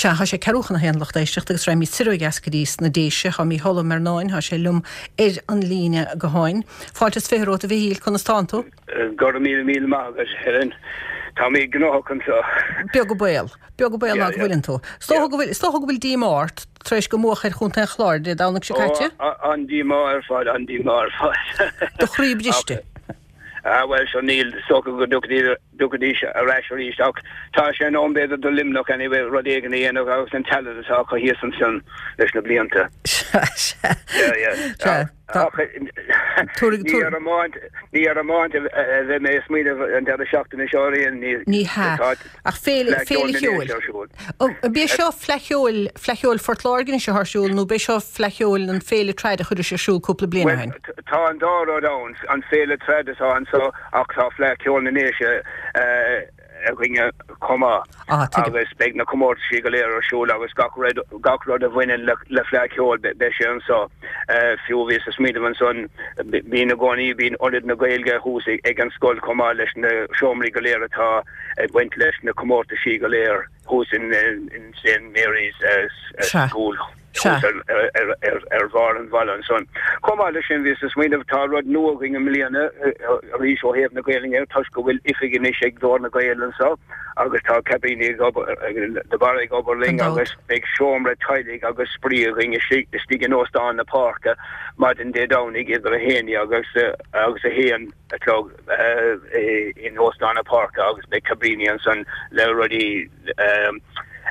Sea, thá sé ceathrú chun a haon, lucht éisteachta, agus raghaimid soir ó dheas go dtí sna Déise. Thá Mícheál Ó Mearnáin, thá sé liom ar an líne gutháin. Fáilte is 20 romhat, a Mhichíl, conas tánn tú? Go raibh míle míle maith agat, Helen. Tá mé gnóthach anseo. Beag an baol. Beag an baol ná go bhfuileann tú. Is dócha go bhfuil, is dócha go bhfuil díomá ort tar éis go mbuadh ar Chontae an Chláir Dé Domhnaigh seo caite? Ó, an-díomá ar fad, an-díomá ar fad. Do chroí briste. Ah, bhuel, sure níl, is dócha go dtiocfaidh dtiocfaidís ar ais arís ach tá sé in am b'fhéidir do Luimneach anyway rud éigin a dhéanamh agus an talent atá acu thíos ansin leis na blianta. Sea, sea. Yeah, yeah. Sea. Ach ní ar iomáint, ní ar iomáint a bheidh mé ag smaoineamh an deireadh seachtaine seo ar aon ní. Ní hea. Ach féile, féile cheoil. An é seo Fleadh Cheoil, Fleadh Cheoil Phort Láirge anois atá ar siúl nó b'é seo Fleadh Cheoil an féile trad a chuiris ar siúl cúpla bliain ó shin? Bhuel, tá an dá rud ann, an féile trad atá anseo Ach tá Fleadh Cheoil na nDéise againne chomh maith agus beidh na comórtaisí go léir ar siúl agus gach rud, gach rud a bhaineann le Fleadh Cheoil beidh sé anseo. Fiú bhíos ag smaoineamh ansan, bíonn i gcónaí, bíonn Ionad na Gaeilge thuas ag an scoil chomh maith leis na seomraí go léir atá ag baint leis na comórtaisí go léir thuas in St Mary's School. thuas ar bharr an bhaile ansan. Chomh maith leis sin, bhíos ag smaoineamh, tá rud nua againn i mbliana arís ó thaobh na Gaelainne toisc go bhfuil oifig anois ag Glór na nGael anso agus tá Cabríní de Barra ag obair linn agus beidh seomra teaghlaigh agus spraoi againn istigh in Óstán na Páirce maidin Dé Domhnaigh idir 11 agus agus 1 a chlog in Óstán na Páirce agus beidh Cabríní ansan le rudaí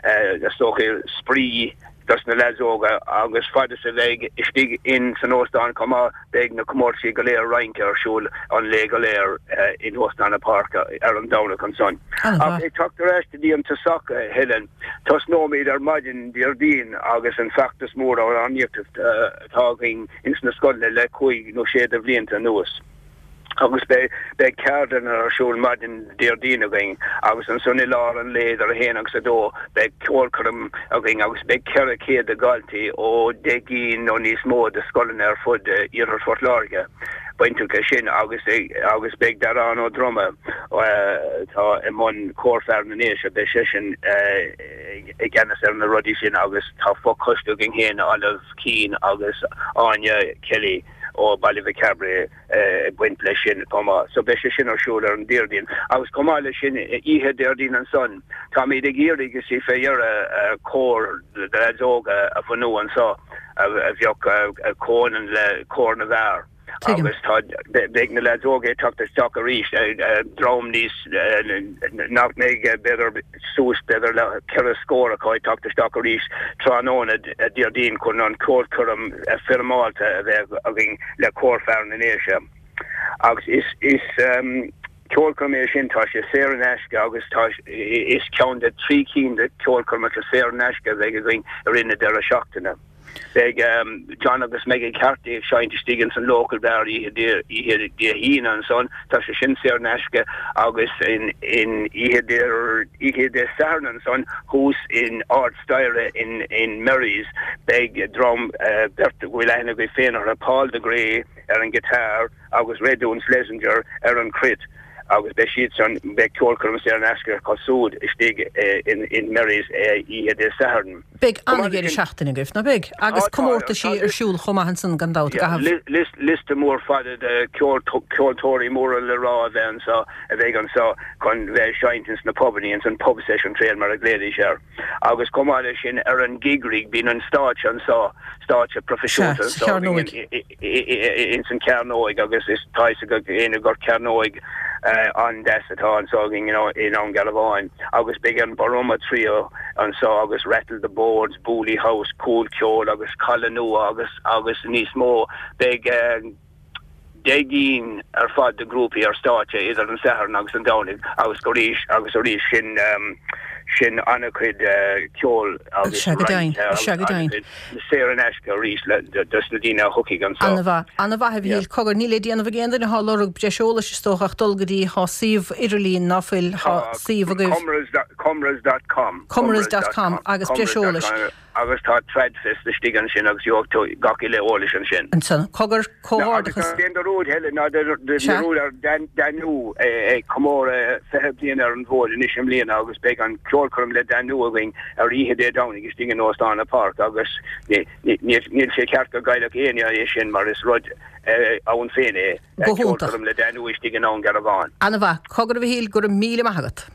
is dócha spraoi dos na leaids óga agus fad is a bheidh istigh in san óstán chomh maith beidh na comórtaisí go léir rince ar siúl an lae go léir in Óstán na Páirce ar an Domhnach ansan. Ach ag teacht ar ais go dtí an tosach a Helen, tosnóimid ar maidin Déardaoin agus an feachtas mór amhránaíochta atá againn ins na scoileanna le cúig nó sé de bhlianta anuas. agus beidh beidh ceardlanna ar siúl maidin Déardaoin againn agus ansan i lár an lae idir 1 agus 2 beidh ceolchoirm againn agus beidh 400 de dhaltaí ó 10 gcinn nó níos mó de scoileanna ar fud Iarthar Phort Láirge bainteach leis sin agus agus beidh Darán Ó Droma atá i mbun Cór Fear na nDéise beidh seisean i gceannas ar na rudaí sin agus tá fochoiste againn féin Olive Keane agus Áine Kelly ó Baile Mhic Cairbre ag baint leis sin chomh maith. So beidh sé sin ar siúl ar an Déardaoin. Agus chomh maith leis sin, oíche Déardaoin ansan, táimid ag iarraidh, you see, fé dheireadh, cór de leaids óga a bhunú anso a bheadh comhionann le cór na bhfear. Tuigim. Agus tá, beidh na leaids óga ag teacht isteach arís, dream níos, nach mbeidh, b'fhéidir, suas b'fhéidir le ceithre scór acu ag teacht isteach arís tráthnóna Déardaoin chun an ceolchoirm foirmeálta a bheith againn le Cór Fear na nDéise. Agus is is ceolchoirm é sin, tá sé saor in aisce agus tá is ceann de thrí cinn de cheolchoirmeacha saor in aisce a bheidh againn i rith na deireadh seachtaine. Beidh John agus Meggie Carthy ag seinnt istigh ins an Local Bar oíche Dé hAoine ansan, tá sé sin saor in aisce, agus in oíche oíche Dé Sathairn ansan thuas in ard staighre in in Mary's beidh dream beirt a bhfuil aithne agaibh féin orthu, Paul de Grey ar an guitar agus Redún Schlesinger ar an cruit agus beidh siadsan, beidh ceolchoirm saor in aisce acu súd istigh in in Mary's oíche Dé Sathairn. Beidh an-dheireadh seachtaine agaibh, ná beidh? Agus comórtaisí ar siúl chomh maith ansan gan dabht i gcaitheamh. Liosta mór fada de ceoltóirí móra le rá a bheith anseo, a bheidh anseo chun bheith ag seinnt ins na pubannaí, ins an pub session trail mar a ghlaoidís air. Agus chomh maith leis sin ar an Gig Rig bíonn an stáitse anseo, stáitse proifisiúnta Sea, sa anseo Chearnóig. ins an Chearnóig agus is tá fhios ag éinne gur cearnóig an-deas atá anseo againn i nDún Garbhán agus beidh an Boroma Trio anseo agus Rattle the Boards, Booley House, Cúl Ceoil agus Caladh Nua agus agus níos mó. Beidh 10 gcinn ar fad de ghrúpaí ar stáitse idir an Satharn agus an Domhnaigh agus arís agus arís sin sin an-chuid ceoil agus Sea go deimhin, rince sea go deimhin. agus Saor in aisce arís dos na daoine a thiocfaidh anso. Ana-mhaith. Ana-mhaith a Mhichíl. Cogar, níl le déanamh ag aon duine atá ag lorg breis eolais is dócha ach dul go dtí, thá suíomh idirlín, ná fuil, thá Tá, suíomh agaibh. Comras dot com. Comras dot com agus breis eolais. Agus tá Tradfest istigh ansin agus gheobhaidh tú gach uile eolais ansin. Ansan, cogar, comhghairdeachas. Agus ná déan dearúd, Helen, ná déan dearúd ar Danú ag comóradh 20 bliain ar an bhfód anois i mbliana agus beidh an ceolchoirm le Danú againn ar oíche Dé Domhnaigh istigh in Óstán an Pháirc agus níl sé ceart go gcaillfeadh éinne é sin mar is rud ann féin é, Go hiontach. ceolchoirm le Danú istigh i nDún Garbhán. Ana-mhaith. Cogar a Mhichíl, go raibh míle maith agat.